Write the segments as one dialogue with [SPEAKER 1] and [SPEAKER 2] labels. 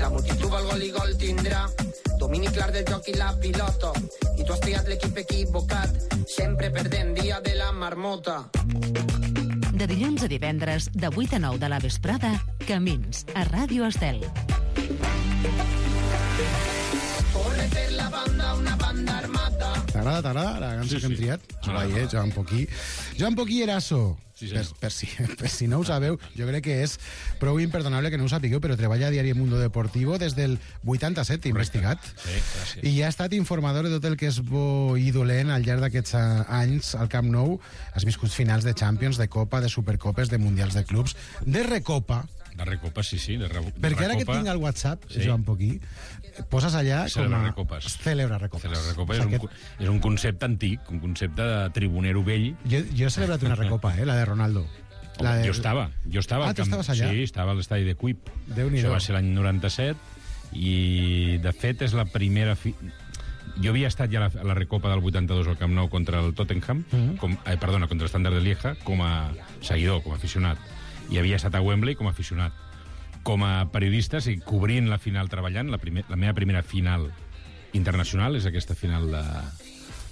[SPEAKER 1] La multitud el gol i gol tindrà domini clar del joc i la pilota, i tu has triat l'equip equivocat, sempre perdent dia de la marmota.
[SPEAKER 2] De dilluns a divendres, de 8 a 9 de la vesprada, Camins, a Ràdio Estel.
[SPEAKER 1] Corre per la banda, una banda armada.
[SPEAKER 3] T'agrada la cançó que hem triat? Joan Poquí. Joan Poquí Eraso.
[SPEAKER 4] Sí,
[SPEAKER 3] per si no ho sabeu, jo crec que és prou imperdonable que no ho sapigueu, però treballa a Diari Mundo Deportivo des del 87, investigat.
[SPEAKER 4] Sí, gràcies.
[SPEAKER 3] I ha estat informador de tot el que és bo i dolent al llarg d'aquests anys al Camp Nou. Has viscut finals de Champions, de Copa, de Supercopes, de Mundials de Clubs, de Recopa.
[SPEAKER 4] De Recopa, sí.
[SPEAKER 3] Perquè ara que tinc el WhatsApp, Joan Poquí, poses allà
[SPEAKER 4] Celebra Recopes.
[SPEAKER 3] Celebra Recopes.
[SPEAKER 4] Celebra Recopa és un concepte antic, un concepte de tribunero vell.
[SPEAKER 3] Jo he celebrat una Recopa, la de Ronaldo.
[SPEAKER 4] Jo estava.
[SPEAKER 3] Ah, tu estaves allà?
[SPEAKER 4] Sí, estava a l'estadi de Cuip.
[SPEAKER 3] Déu-n'hi-do.
[SPEAKER 4] Això va ser l'any 97 i, de fet, és la primera... Jo havia estat ja a la Recopa del 82 al Camp Nou contra el Tottenham, contra el Standard de Lieja, com a seguidor, com a aficionat. I havia estat a Wembley com a aficionat. Com a periodista, sí, cobrint la final, treballant, la meva primera final internacional és aquesta final de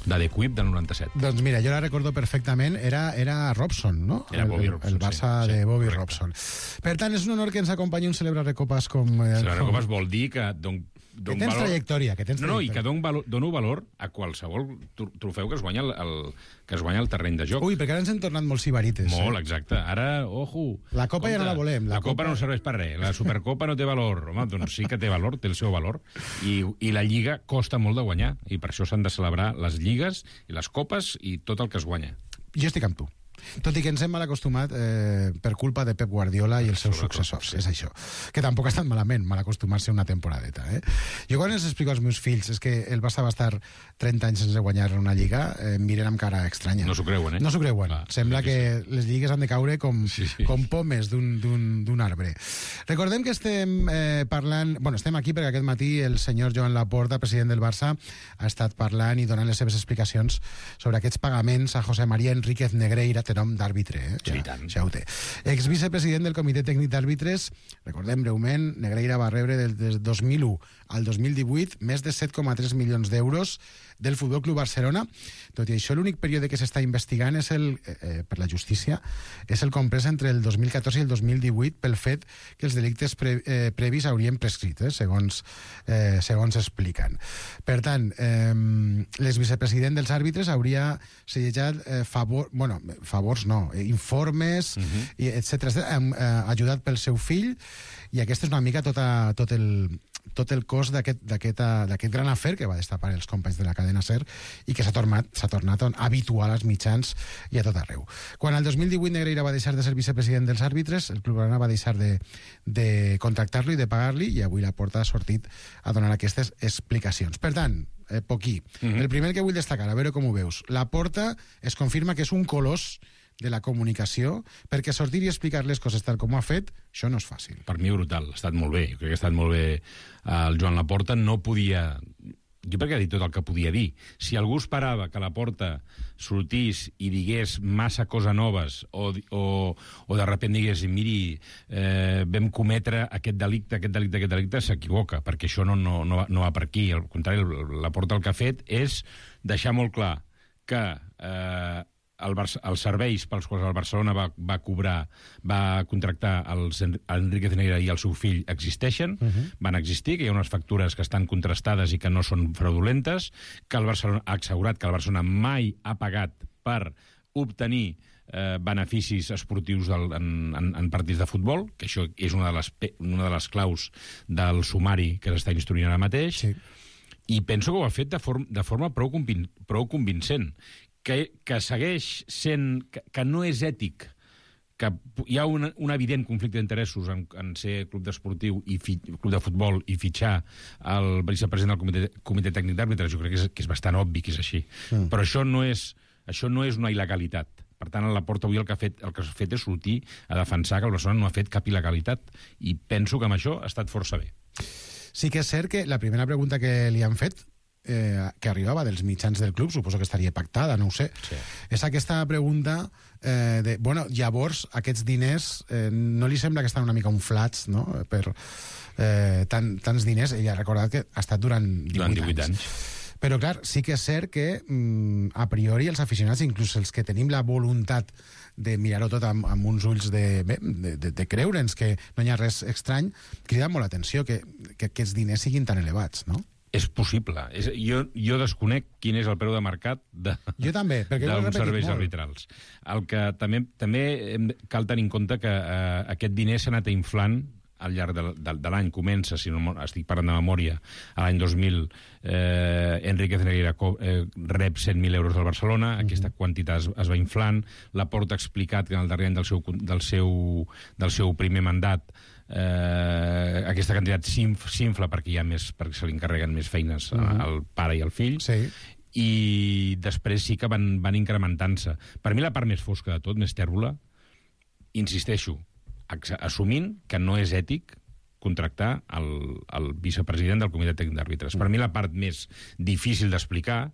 [SPEAKER 4] The Quip del 97.
[SPEAKER 3] Doncs mira, jo la recordo perfectament, era Robson, no?
[SPEAKER 4] Era Bobby Robson,
[SPEAKER 3] el Barça
[SPEAKER 4] sí,
[SPEAKER 3] de Bobby
[SPEAKER 4] correcte.
[SPEAKER 3] Robson. Per tant, és un honor que ens acompanyi un Celebra Recopes com...
[SPEAKER 4] Celebra Recopes vol dir que
[SPEAKER 3] que tens trajectòria,
[SPEAKER 4] No, i que dono valor a qualsevol trofeu que es guanya el terreny de joc.
[SPEAKER 3] Ui, perquè ara ens hem tornat molt sibarites.
[SPEAKER 4] Molt, exacte. Ara, ojo...
[SPEAKER 3] La Copa ja no la volem.
[SPEAKER 4] La Copa no serveix per res. La Supercopa no té valor. Home, doncs sí que té valor, té el seu valor. I la Lliga costa molt de guanyar. I per això s'han de celebrar les lligues i les copes i tot el que es guanya.
[SPEAKER 3] Jo estic amb tu. Tot i que ens hem mal acostumat per culpa de Pep Guardiola i els seus successors, és això. Que tampoc ha estat malament, mal acostumar-se una temporadeta. Jo quan els explico als meus fills és que el Barça va estar 30 anys sense guanyar una lliga, miren amb cara estranya.
[SPEAKER 4] No s'ho creuen,
[SPEAKER 3] No s'ho creuen. Sembla que les lligues han de caure com pomes d'un arbre. Recordem que estem parlant... Bueno, estem aquí perquè aquest matí el senyor Joan Laporta, president del Barça, ha estat parlant i donant les seves explicacions sobre aquests pagaments a José María Enríquez Negreira, té nom d'àrbitre,
[SPEAKER 4] Sí, tant.
[SPEAKER 3] Ja ho té. Ex-vicepresident del Comitè Tècnic d'Àrbitres, recordem breument, Negreira va rebre des 2001 al 2018 més de 7,3 milions d'euros del Futbol Club Barcelona. Tot i això, l'únic període que s'està investigant és per la justícia és el comprès entre el 2014 i el 2018 pel fet que els delictes previs haurien prescrit, segons expliquen. Per tant, l'exvicepresident dels àrbitres hauria sellejat informes, etc., ajudat pel seu fill, i aquest és una mica tot el cos d'aquest gran afer que va destapar els companys de la cadena SER i que s'ha tornat habitual als mitjans i a tot arreu. Quan el 2018 Negreira va deixar de ser vicepresident dels àrbitres, el Club Blaugrana va deixar de contractar-lo i de pagar-li, i avui Laporta ha sortit a donar aquestes explicacions. Per tant, Poquí, el primer que vull destacar, a veure com ho veus. Laporta es confirma que és un colós de la comunicació, perquè sortir i explicar les coses tal com ho ha fet, això no és fàcil.
[SPEAKER 4] Per mi brutal, ha estat molt bé. Jo crec que ha estat molt bé. El Joan Laporta no podia... Jo perquè ha dit tot el que podia dir. Si algú esperava que Laporta sortís i digués massa coses noves o de sobte digués, miri, vam cometre aquest delicte, s'equivoca, perquè això no va per aquí. Al contrari, Laporta el que ha fet és deixar molt clar que els serveis pels quals el Barcelona va contractar Enríquez Negreira i el seu fill existeixen, van existir, que hi ha unes factures que estan contrastades i que no són fraudulentes, que el Barcelona ha assegurat que el Barcelona mai ha pagat per obtenir beneficis esportius en partits de futbol, que això és una de les claus del sumari que s'està instruint ara mateix, i penso que ho ha fet de forma prou convincent, que segueix sent... que no és ètic, que hi ha un evident conflicte d'interessos en ser club d'esportiu i club de futbol i fitxar el vicepresident del Comitè Tècnic d'Àrbitres. Jo crec que és bastant obvi que és així. Però això no és una il·legalitat. Per tant, a Laporta avui el que ha fet és sortir a defensar que el Barcelona no ha fet cap il·legalitat. I penso que amb això ha estat força bé.
[SPEAKER 3] Sí que és cert que la primera pregunta que li han fet que arribava dels mitjans del club, suposo que estaria pactada, no ho sé.
[SPEAKER 4] Sí.
[SPEAKER 3] És aquesta pregunta de, bueno, llavors aquests diners no li sembla que estan una mica inflats, no?, per tants diners. Ella ha recordat que ha estat durant 18 anys. Però, clar, sí que és cert que a priori els aficionats, inclús els que tenim la voluntat de mirar-ho tot amb uns ulls de creure'ns que no hi ha res estrany, crida molt l'atenció que aquests diners siguin tan elevats, no?
[SPEAKER 4] És possible. Jo desconec quin és el preu de mercat
[SPEAKER 3] jo també, perquè
[SPEAKER 4] d'uns serveis arbitrals. El que també cal tenir en compte que aquest diner s'ha anat inflant al llarg de l'any. Comença, si no estic parlant de memòria, a l'any 2000 Enrique Cenegueira rep 100.000 euros del Barcelona, aquesta quantitat es va inflant. Laporta ha explicat que en el darrer any del seu primer mandat aquesta quantitat s'infla perquè perquè se li encarreguen més feines al pare i al fill.
[SPEAKER 3] Sí.
[SPEAKER 4] I després sí que van incrementant-se. Per mi la part més fosca de tot, més tèrbola, insisteixo, assumint que no és ètic contractar el vicepresident del Comitè Tècnic d'Àrbitres. Per mi la part més difícil d'explicar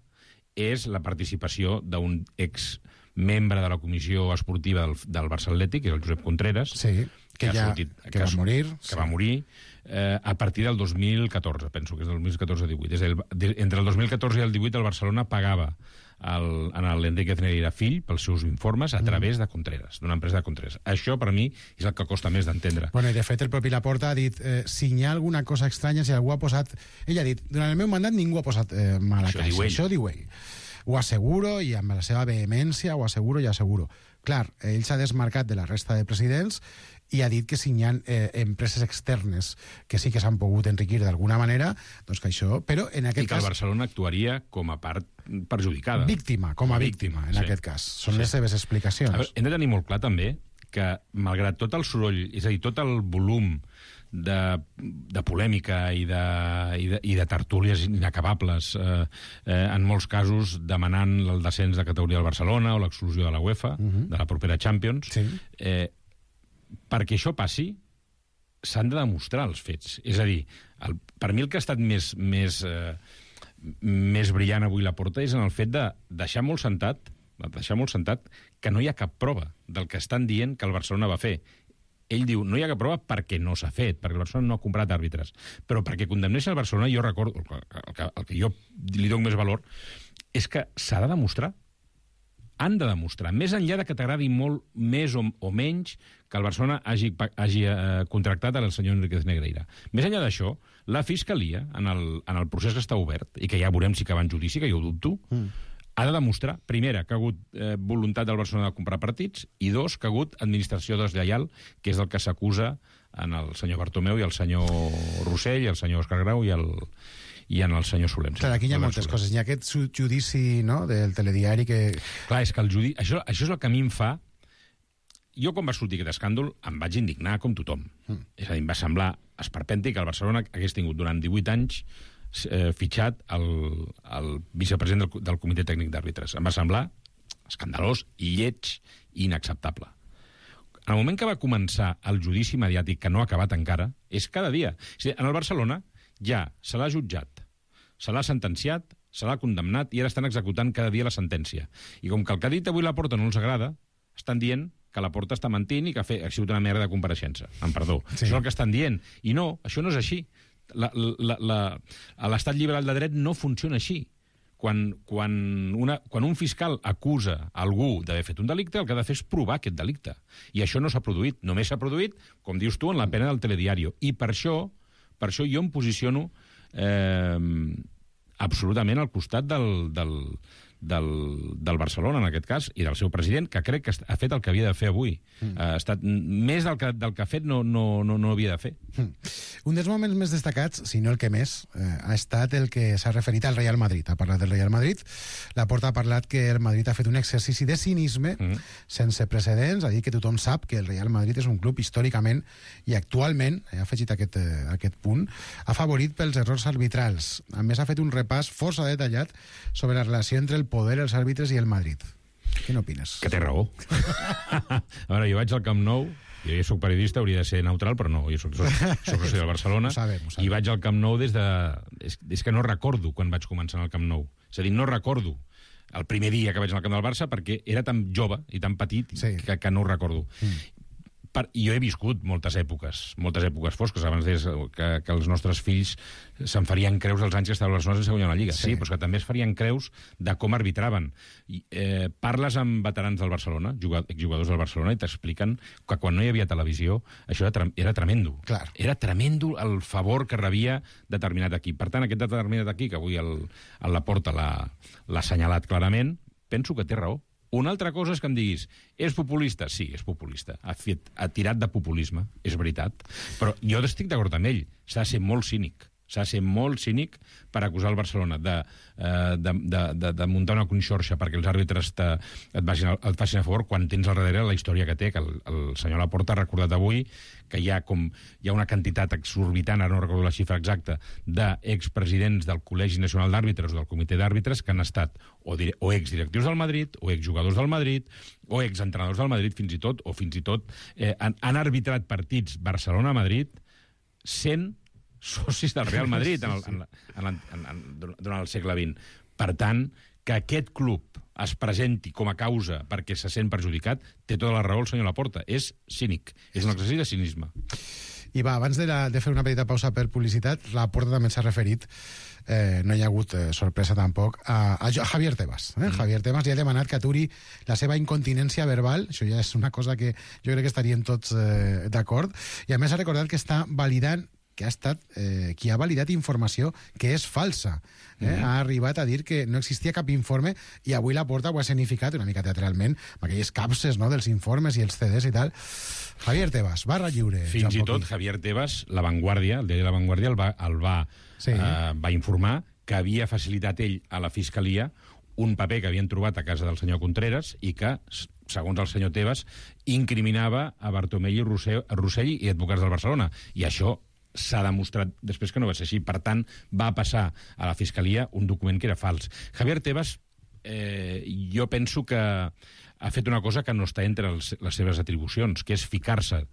[SPEAKER 4] és la participació d'un exmembre de la comissió esportiva del Barça Atlètic, que és el Josep Contreras,
[SPEAKER 3] sí, que va morir
[SPEAKER 4] a partir del 2014, penso que és del 2014-18. Entre el 2014 i el 18 el Barcelona pagava en l'Enrique Cenegueira fill pels seus informes a través de Contreras, d'una empresa de Contreras. Això, per mi, és el que costa més d'entendre.
[SPEAKER 3] Bueno, i de fet el propi Laporta ha dit si hi ha alguna cosa estranya, si algú ha posat... Ell ha dit, durant el meu mandat ningú ha posat mal a caixa. Això diu ell. Ho asseguro, i amb la seva vehemència, ho asseguro i asseguro. Clar, ell s'ha desmarcat de la resta de presidents i ha dit que si hi ha empreses externes que sí que s'han pogut enriquir d'alguna manera, doncs que això... Però en aquest cas...
[SPEAKER 4] I que el Barcelona actuaria com a part perjudicada.
[SPEAKER 3] Víctima, com a víctima, en aquest cas. Són les seves explicacions.
[SPEAKER 4] A veure, hem de tenir molt clar, també, que malgrat tot el soroll, és a dir, tot el volum de polèmica i de tertúlies inacabables, en molts casos demanant el descens de categoria del Barcelona o l'exclusió de la UEFA, de la propera Champions,
[SPEAKER 3] sí.
[SPEAKER 4] Perquè això passi, s'han de demostrar els fets. És a dir, per mi el que ha estat més brillant avui Laporta és en el fet de deixar molt sentat que no hi ha cap prova del que estan dient que el Barcelona va fer. Ell diu, no hi ha cap prova perquè no s'ha fet, perquè el Barcelona no ha comprat àrbitres. Però perquè condemnés el Barcelona, jo recordo, el que jo li dono més valor, és que s'ha de demostrar. Han de demostrar, més enllà de que t'agradi molt més o menys que el Barcelona hagi contractat el senyor Enrique Cenegueira. Més enllà d'això, la Fiscalia, en el procés que està obert, i que ja veurem si acaba en judici, que jo ho dubto, ha de demostrar, primera, que ha hagut voluntat del Barcelona de comprar partits, i dos, que ha hagut administració deslleial, que és el que s'acusa en el senyor Bartomeu i el senyor Rossell, i el senyor Òscar Grau i en el senyor Solem.
[SPEAKER 3] Clar, aquí hi ha moltes coses. Hi ha aquest judici, no?, del telediari que...
[SPEAKER 4] Clar, és que el judici... Això és el que a mi em fa... Jo, quan va sortir aquest escàndol, em vaig indignar com tothom. És a dir, em va semblar esperpèntic que el Barcelona hagués tingut durant 18 anys fitxat el vicepresident del Comitè Tècnic d'Àrbitres. Em va semblar escandalós, lleig i inacceptable. En el moment que va començar el judici mediàtic, que no ha acabat encara, és cada dia. És a dir, en el Barcelona ja se l'ha jutjat, se l'ha sentenciat, se l'ha condemnat i ara estan executant cada dia la sentència. I com que el que ha dit avui Laporta no els agrada, estan dient que Laporta està mentint i que ha sigut una merda de compareixença. Amb perdó. Sí. Això és el que estan dient. I no, això no és així. L'estat liberal de dret no funciona així. Quan un fiscal acusa algú d'haver fet un delicte, el que ha de fer és provar aquest delicte. I això no s'ha produït. Només s'ha produït, com dius tu, en la pena del telediario. I per això jo em posiciono absolutament al costat del Barcelona, en aquest cas, i del seu president, que crec que ha fet el que havia de fer avui. Ha estat més del que ha fet no havia de fer.
[SPEAKER 3] Un dels moments més destacats, si no el que més, ha estat el que s'ha referit al Real Madrid. Ha parlat del Real Madrid. Laporta ha parlat que el Madrid ha fet un exercici de cinisme sense precedents, ha dit que tothom sap que el Real Madrid és un club històricament i actualment, ha afegit aquest punt, afavorit pels errors arbitrals. A més, ha fet un repàs força detallat sobre la relació entre el poder, els àrbitres i el Madrid. Què n'opines?
[SPEAKER 4] Que té raó. A veure, jo vaig al Camp Nou, jo ja soc periodista, hauria de ser neutral, però no, jo soc soci del Barcelona,
[SPEAKER 3] Ho sabem.
[SPEAKER 4] I vaig al Camp Nou des de... És que no recordo quan vaig començar al Camp Nou. És a dir, no recordo el primer dia que vaig al camp del Barça perquè era tan jove i tan petit que no ho recordo. I jo he viscut moltes èpoques fosques. Abans deies que els nostres fills se'n farien creus dels anys que estava el Barcelona sense guanyar la Lliga. Sí, però que també es farien creus de com arbitraven. Parles amb veterans del Barcelona, exjugadors del Barcelona, i t'expliquen que quan no hi havia televisió això era tremendo.
[SPEAKER 3] Clar.
[SPEAKER 4] Era tremendo el favor que rebia determinat equip. Per tant, aquest determinat equip, que avui a la porta l'ha assenyalat clarament, penso que té raó. Una altra cosa és que em diguis, és populista? Sí, és populista. Ha tirat de populisme, és veritat. Però jo estic d'acord amb ell. S'ha de ser molt cínic. S'ha de ser molt cínic per acusar el Barcelona de muntar una conxorxa perquè els àrbitres et facin a favor quan tens al darrere la història que té, que el senyor Laporta ha recordat avui que hi ha una quantitat exorbitant, ara no recordo la xifra exacta, d'expresidents del Col·legi Nacional d'Àrbitres o del Comitè d'Àrbitres que han estat o exdirectius del Madrid, o exjugadors del Madrid, o exentrenadors del Madrid, fins i tot han arbitrat partits Barcelona-Madrid sent socis del Real Madrid durant el segle XX. Per tant, que aquest club es presenti com a causa perquè se sent perjudicat, té tota la raó el senyor Laporta. És cínic, és un exercici de cinisme.
[SPEAKER 3] I va, abans de fer una petita pausa per publicitat, Laporta també s'ha referit, no hi ha hagut sorpresa tampoc, a Javier Tebas. Javier Tebas ja ha demanat que aturi la seva incontinència verbal, això ja és una cosa que jo crec que estaríem tots d'acord, i a més ha recordat que està validant que ha estat qui ha validat informació que és falsa. Ha arribat a dir que no existia cap informe i avui Laporta ho ha escenificat una mica teatralment amb aquelles capses dels informes i els CDs i tal. Javier Tebas, barra lliure.
[SPEAKER 4] Fins i tot Javier Tebas, La Vanguardia, el diari La Vanguardia, va informar que havia facilitat ell a la Fiscalia un paper que havien trobat a casa del senyor Contreras i que, segons el senyor Tebas, incriminava a Bartomeu Rossell i advocats del Barcelona. I això s'ha demostrat després que no va ser així. Per tant, va passar a la Fiscalia un document que era fals. Javier Tebas, jo penso que ha fet una cosa que no està entre les seves atribucions, que és ficar-se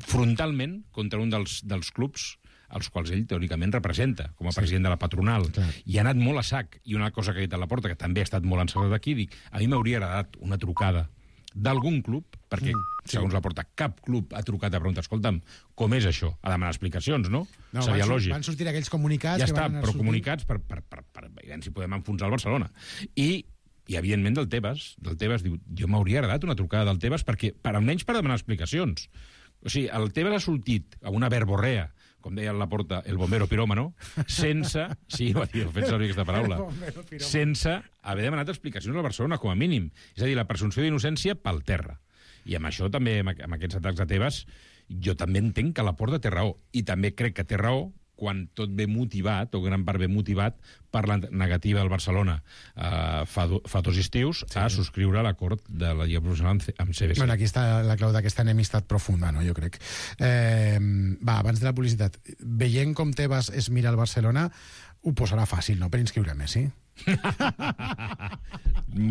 [SPEAKER 4] frontalment contra un dels clubs als quals ell teòricament representa, com a president de la patronal.
[SPEAKER 3] Clar.
[SPEAKER 4] I ha anat molt a sac. I una cosa que ha dit a Laporta, que també ha estat molt encertat aquí, dic, a mi m'hauria agradat una trucada d'algun club, perquè, segons Laporta, cap club ha trucat a preguntar, escolta'm, com és això? A demanar explicacions, no? Seria lògic.
[SPEAKER 3] Van sortir aquells comunicats...
[SPEAKER 4] Ja està, però comunicats per si podem enfonsar el Barcelona. I evidentment, del Tebas diu, jo m'hauria agradat una trucada del Tebas perquè, almenys per demanar explicacions. O sigui, el Tebas ha sortit a una verborrea, com deia Laporta, el bombero piròmano, sense... Sí, ho ha fet servir aquesta paraula. Sense haver demanat explicacions al Barcelona, com a mínim. És a dir, la presumpció d'innocència pel terra. I amb això també, amb aquests atacs de Tebas, jo també entenc que Laporta té raó. I també crec que té raó quan tot ve motivat, o gran part ve motivat, per la negativa del Barcelona fa 2 estius a subscriure l'acord de la Lliga Professional amb CBC.
[SPEAKER 3] Bueno, aquí està la clau d'aquesta enemistat profunda, no? Jo crec. Va, abans de la publicitat, veient com Tebas es mira al Barcelona, ho posarà fàcil, no?, per inscriure Messi.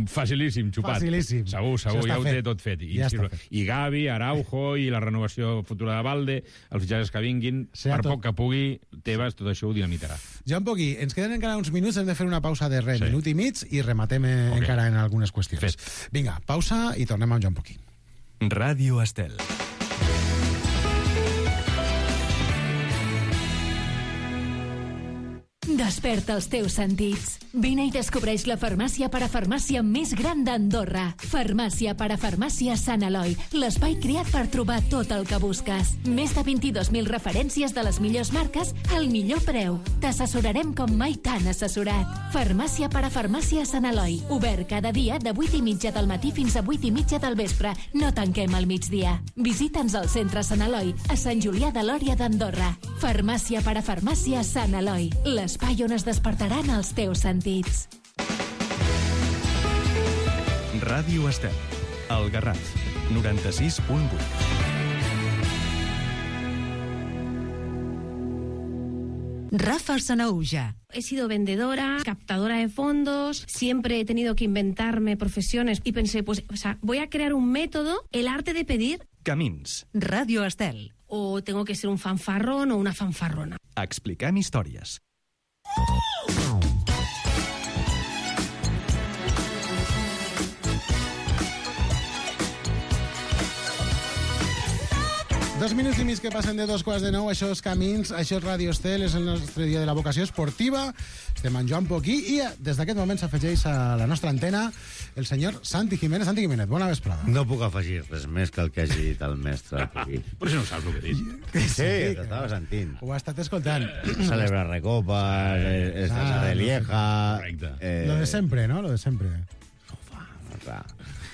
[SPEAKER 4] Facilíssim, xupat.
[SPEAKER 3] Facilíssim.
[SPEAKER 4] Segur, ja ho té tot fet. I Gavi, Araujo, i la renovació futura de Valde, els fitxatges que vinguin, per poc que pugui, Tebas, tot això ho dinamitarà.
[SPEAKER 3] Joan Pogui, ens queden encara uns minuts, hem de fer una pausa de minut i mig i rematem encara en algunes qüestions. Vinga, pausa i tornem amb Joan Pogui.
[SPEAKER 5] Ràdio Estel.
[SPEAKER 6] Desperta els teus sentits. Vine i descobreix la farmàcia parafarmàcia més gran d'Andorra. Farmàcia parafarmàcia Sant Eloi, l'espai creat per trobar tot el que busques. Més de 22.000 referències de les millors marques al millor preu. T'assessorarem com mai t'han assessorat. Farmàcia parafarmàcia Sant Eloi. Obert cada dia de 8:30 del matí fins a 8:30 del vespre. No tanquem al migdia. Visita'ns al centre Sant Eloi, a Sant Julià de Lòria d'Andorra. Farmàcia parafarmàcia Sant Eloi, l'espai on es despertaran els teus sentits.
[SPEAKER 5] Ràdio Estel, El Garraf, 96.8.
[SPEAKER 2] Rafa Sanahuja.
[SPEAKER 7] He sido vendedora, captadora de fondos, siempre he tenido que inventarme profesiones y pensé, voy a crear un método, el arte de pedir.
[SPEAKER 5] Camins.
[SPEAKER 2] Ràdio Estel.
[SPEAKER 7] O tengo que ser un fanfarrón o una fanfarrona.
[SPEAKER 5] Expliquem històries.
[SPEAKER 3] Dos minuts i mig que passen de 2:15, això és Camins, això és Ràdio Estel, és el nostre dia de la vocació esportiva. Estem amb Joan Poquí i des d'aquest moment s'afegeix a la nostra antena el senyor Santi Jiménez. Santi Jiménez, bona vesprada.
[SPEAKER 8] No puc afegir res més que el que hagi dit el mestre Poquí.
[SPEAKER 4] Però si no saps el que dius.
[SPEAKER 8] Sí, t'estava sentint.
[SPEAKER 3] Ho ha estat escoltant.
[SPEAKER 8] Celebra recopas, estàs de Lieja...
[SPEAKER 4] Correcte.
[SPEAKER 3] Lo de sempre, ¿no? Lo de sempre.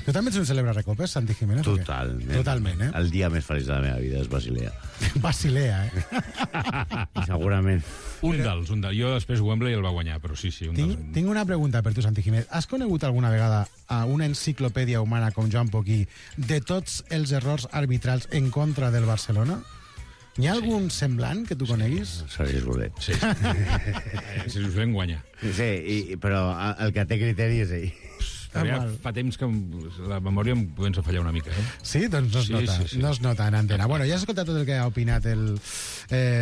[SPEAKER 3] Tu també ets un celebra recopes, Santi Jiménez?
[SPEAKER 8] Totalment.
[SPEAKER 3] Totalment, eh?
[SPEAKER 8] El dia més feliç de la meva vida és Basilea.
[SPEAKER 3] Basilea, eh?
[SPEAKER 8] Segurament.
[SPEAKER 4] Un dels. Jo després Wembley el va guanyar, però sí, un dels.
[SPEAKER 3] Tinc una pregunta per tu, Santi Jiménez. Has conegut alguna vegada a una enciclopèdia humana com Joan Poquí de tots els errors arbitrals en contra del Barcelona? Hi ha algun semblant que tu coneguis?
[SPEAKER 8] Sergi Soler.
[SPEAKER 4] Sí. Sergi Soler guanya.
[SPEAKER 8] Sí, però el que té criteri és ell.
[SPEAKER 4] Ja fa temps que la memòria em comença a fallar una mica, eh?
[SPEAKER 3] Sí? Doncs no es nota.
[SPEAKER 4] Sí.
[SPEAKER 3] No es nota en antena. Bueno, ja has escoltat tot el que ha opinat el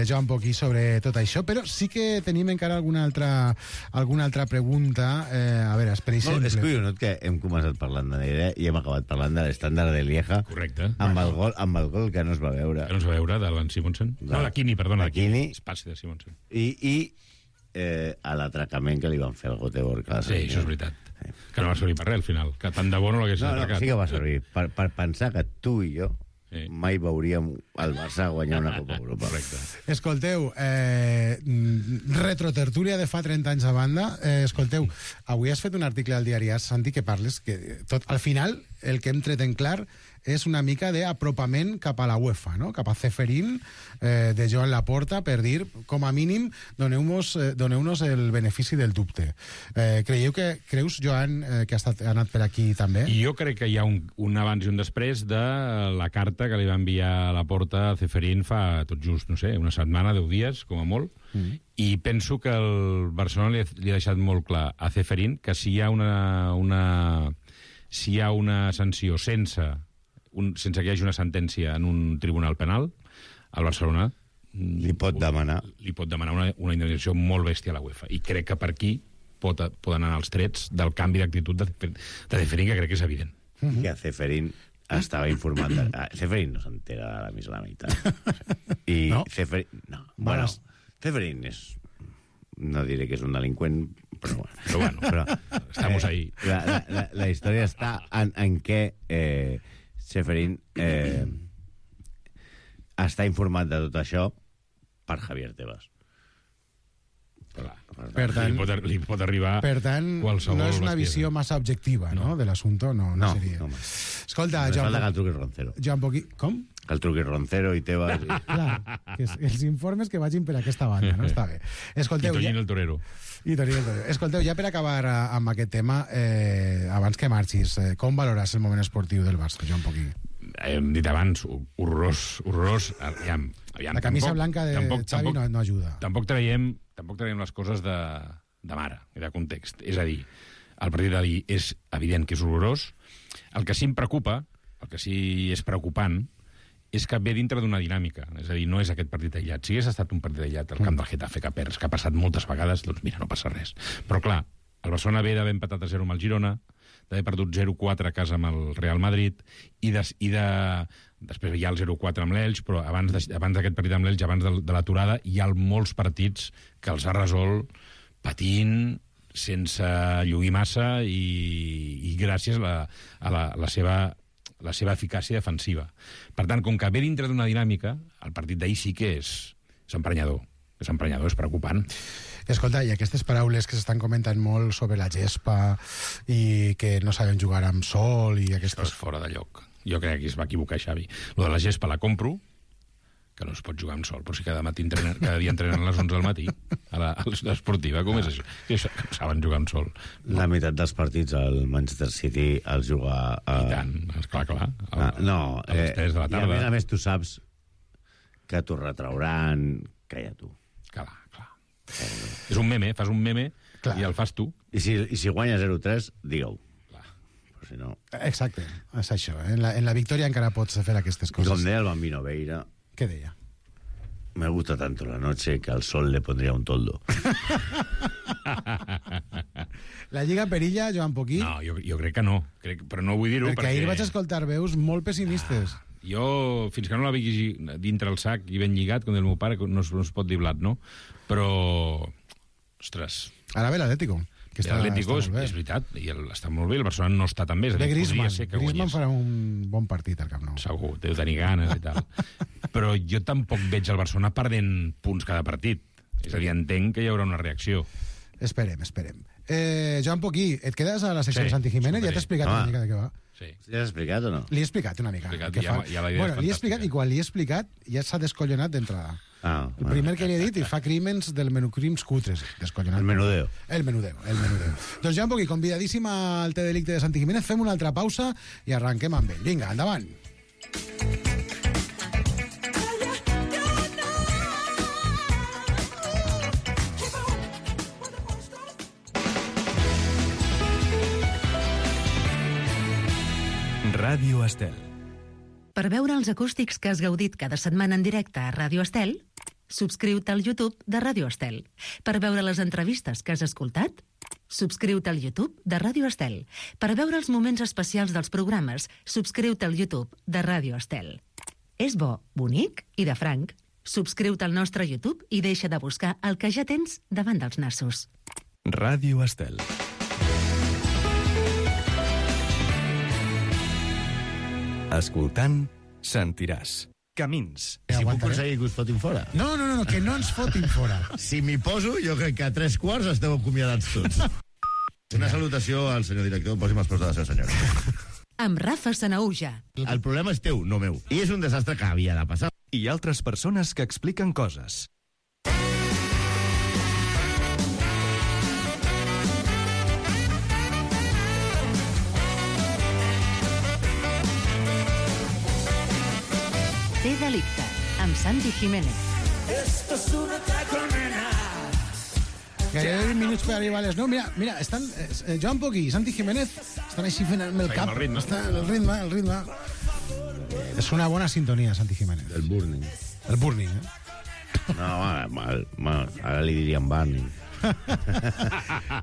[SPEAKER 3] Joan Poquí sobre tot això, però sí que tenim encara alguna altra pregunta. A veure, per exemple...
[SPEAKER 8] No, és curiós que hem començat parlant de Negra i hem acabat parlant de l'estàndard de Lieja.
[SPEAKER 4] Correcte.
[SPEAKER 8] Amb el gol que no es va veure.
[SPEAKER 4] Que no es va veure, de l'An Simonsen. No, de Quini, perdona.
[SPEAKER 8] De Quini.
[SPEAKER 4] Es passi de Simonsen.
[SPEAKER 8] I a l'atracament que li van fer al Göteborg.
[SPEAKER 4] Sí, això és veritat. Que no va servir per res, al final. Que tant de bo no l'haguessin atracat.
[SPEAKER 8] Sí que va servir. Per pensar que tu i jo mai veuríem el Barça guanyar una Copa Europa.
[SPEAKER 4] Correcte.
[SPEAKER 3] Escolteu, retrotertúlia de fa 30 anys a banda. Escolteu, avui has fet un article al diari AS, Santi, que parles que al final el que hem tret en clar és una mica d'apropament cap a la UEFA, no? Cap a Ceferín, de Joan Laporta, per dir, com a mínim, doneu-nos el benefici del dubte. Creus, Joan, que ha anat per aquí també?
[SPEAKER 4] I jo crec que hi ha un abans i un després de la carta que li va enviar Laporta a Ceferín fa tot just, no sé, una setmana, 10 dies, com a molt, i penso que el Barcelona li ha deixat molt clar a Ceferín que si hi ha una sanció sense que hi hagi una sentència en un tribunal penal, el Barcelona
[SPEAKER 8] li pot demanar
[SPEAKER 4] una indemnització molt bèstia a la UEFA. I crec que per aquí poden anar els trets del canvi d'actitud de Ceferín, que crec que és evident.
[SPEAKER 8] Que Ceferín estava informant... Ceferín no s'entera de la més la meitat. I
[SPEAKER 3] no?
[SPEAKER 8] Ceferín... No. Bueno, Ceferín és... No diré que és un delinqüent, però bueno.
[SPEAKER 4] Estamos ahí.
[SPEAKER 8] La història està en què Ceferín està informat de tot això per Javier Tebas.
[SPEAKER 3] Per tant,
[SPEAKER 4] li pot arribar
[SPEAKER 3] per tant,
[SPEAKER 4] qualsevol
[SPEAKER 3] no és una
[SPEAKER 4] bestiesa.
[SPEAKER 3] visió massa objectiva, no? De l'assumpte, no seria.
[SPEAKER 8] No.
[SPEAKER 3] Escolta,
[SPEAKER 8] Falta que el truqui Roncero.
[SPEAKER 3] Joan Poquí... Com?
[SPEAKER 8] Que el truqui Roncero i Tebas...
[SPEAKER 3] Clar, que els informes que vagin per aquesta banda, no? Està bé. Escolteu,
[SPEAKER 4] I Toñín el Torero.
[SPEAKER 3] Escolteu, ja per acabar amb aquest tema, abans que marxis, com valores el moment esportiu del Barça, Joan Poquí?
[SPEAKER 4] Hem dit abans, horrorós. Aviam,
[SPEAKER 3] la camisa blanca de Xavi no ajuda.
[SPEAKER 4] Tampoc traiem les coses de mare i de context. És a dir, el partit d'ahir és evident que és horrorós. El que sí em preocupa, el que sí és preocupant, és que ve dintre d'una dinàmica. És a dir, no és aquest partit aïllat. Si hagués estat un partit aïllat al camp del Getafe que perds, que ha passat moltes vegades, doncs mira, no passa res. Però clar, el Barcelona ve d'haver empatat a 0 amb el Girona, d'haver perdut 0-4 a casa amb el Real Madrid, i després hi ha el 0-4 amb l'Elx, però abans d'aquest partit amb l'Elx, abans de l'aturada, hi ha molts partits que els ha resolt patint, sense lluir massa i gràcies a la seva eficàcia defensiva. Per tant, com que ve dintre d'una dinàmica, el partit d'ahir sí que és emprenyador. És emprenyador, és preocupant.
[SPEAKER 3] Escolta, i aquestes paraules que s'estan comentant molt sobre la gespa i que no saben jugar amb sol i aquestes...
[SPEAKER 4] Això és fora de lloc. Jo crec que es va equivocar Xavi. Lo de la gespa la compro, que no es pot jugar amb sol, però si cada dia entrenen a les 11 del matí a l'esportiva, com és això? Que saben jugar amb sol.
[SPEAKER 8] La meitat dels partits al Manchester City els juga...
[SPEAKER 4] I tant, clar. A les 3 de la tarda.
[SPEAKER 8] I a més tu saps que t'ho retrauran, calla tu.
[SPEAKER 4] Clar. És un meme, fas un meme
[SPEAKER 3] Clar.
[SPEAKER 4] i el fas tu.
[SPEAKER 8] I si guanya 0-3, digue-ho. Però si no...
[SPEAKER 3] Exacte, és això. En la victòria encara pots fer aquestes
[SPEAKER 8] I
[SPEAKER 3] coses.
[SPEAKER 8] com deia el Bambino Veira,
[SPEAKER 3] Què deia?
[SPEAKER 8] me gusta tanto la noche que al sol le pondría un toldo.
[SPEAKER 3] La Lliga perilla, Joan Poquí?
[SPEAKER 4] No, jo crec que no. Però no vull dir-ho
[SPEAKER 3] perquè ahir vaig escoltar veus molt pessimistes.
[SPEAKER 4] Jo, fins que no la vegi dintre el sac i ben lligat, com del meu pare, no es pot dir blat, no? Però, ostres...
[SPEAKER 3] Ara ve l'Atlético.
[SPEAKER 4] L'Atlético és veritat, i està molt bé, el Barcelona no està tan bé.
[SPEAKER 3] Ve Griezmann farà un bon partit al Camp Nou.
[SPEAKER 4] Segur, deu tenir ganes i tal. Però jo tampoc veig el Barcelona perdent punts cada partit. És a dir, entenc que hi haurà una reacció.
[SPEAKER 3] Esperem. Joan Poquí, et quedes a la secció de Santi Jiménez? Ja t'he explicat una mica de què va.
[SPEAKER 4] Sí.
[SPEAKER 8] Ja has explicat o no?
[SPEAKER 3] Li he explicat una mica.
[SPEAKER 4] Bueno,
[SPEAKER 3] li he explicat i quan li he explicat ja s'ha descollonat d'entrada. El primer que li he dit i fa crímens del menucrims cutres. Descollonat.
[SPEAKER 8] El menudeo.
[SPEAKER 3] El menudeo. Doncs Joan Poquí, convidadíssim al T-Delicte de Santi Jiménez. Fem una altra pausa i arrenquem amb ell. Vinga, endavant.
[SPEAKER 5] Ràdio Estel.
[SPEAKER 2] Per veure els acústics que has gaudit cada setmana en directe a Ràdio Estel, subscriu-te al YouTube de Ràdio Estel. Per veure les entrevistes que has escoltat, subscriu-te al YouTube de Ràdio Estel. Per veure els moments especials dels programes, subscriu-te al YouTube de Ràdio Estel. És bo, bonic i de franc. Subscriu-te al nostre YouTube i deixa de buscar el que ja tens davant dels nassos.
[SPEAKER 5] Ràdio Estel. Escoltant, sentiràs. Camins.
[SPEAKER 8] Si puc aconseguir que us fotin fora.
[SPEAKER 3] No, que no ens fotin fora.
[SPEAKER 8] Si m'hi poso, jo crec que a 3/4 esteu acomiadats tots. Una salutació al senyor director. Posi'm els peus de la seva senyora.
[SPEAKER 2] Amb Rafa Sanauja.
[SPEAKER 8] El problema és teu, no meu. I és un desastre que havia de passar.
[SPEAKER 5] I altres persones que expliquen coses.
[SPEAKER 2] T-Delicte, amb Santi Jiménez.
[SPEAKER 3] Gairebé 20 minuts per arribar a les 9. Mira, estan Joan Poquí i Santi Jiménez estan així fent el cap.
[SPEAKER 4] El ritme.
[SPEAKER 3] El ritme. És una bona sintonia, Santi Jiménez.
[SPEAKER 8] El burning.
[SPEAKER 3] El burning,
[SPEAKER 8] No, ara li diríem burning.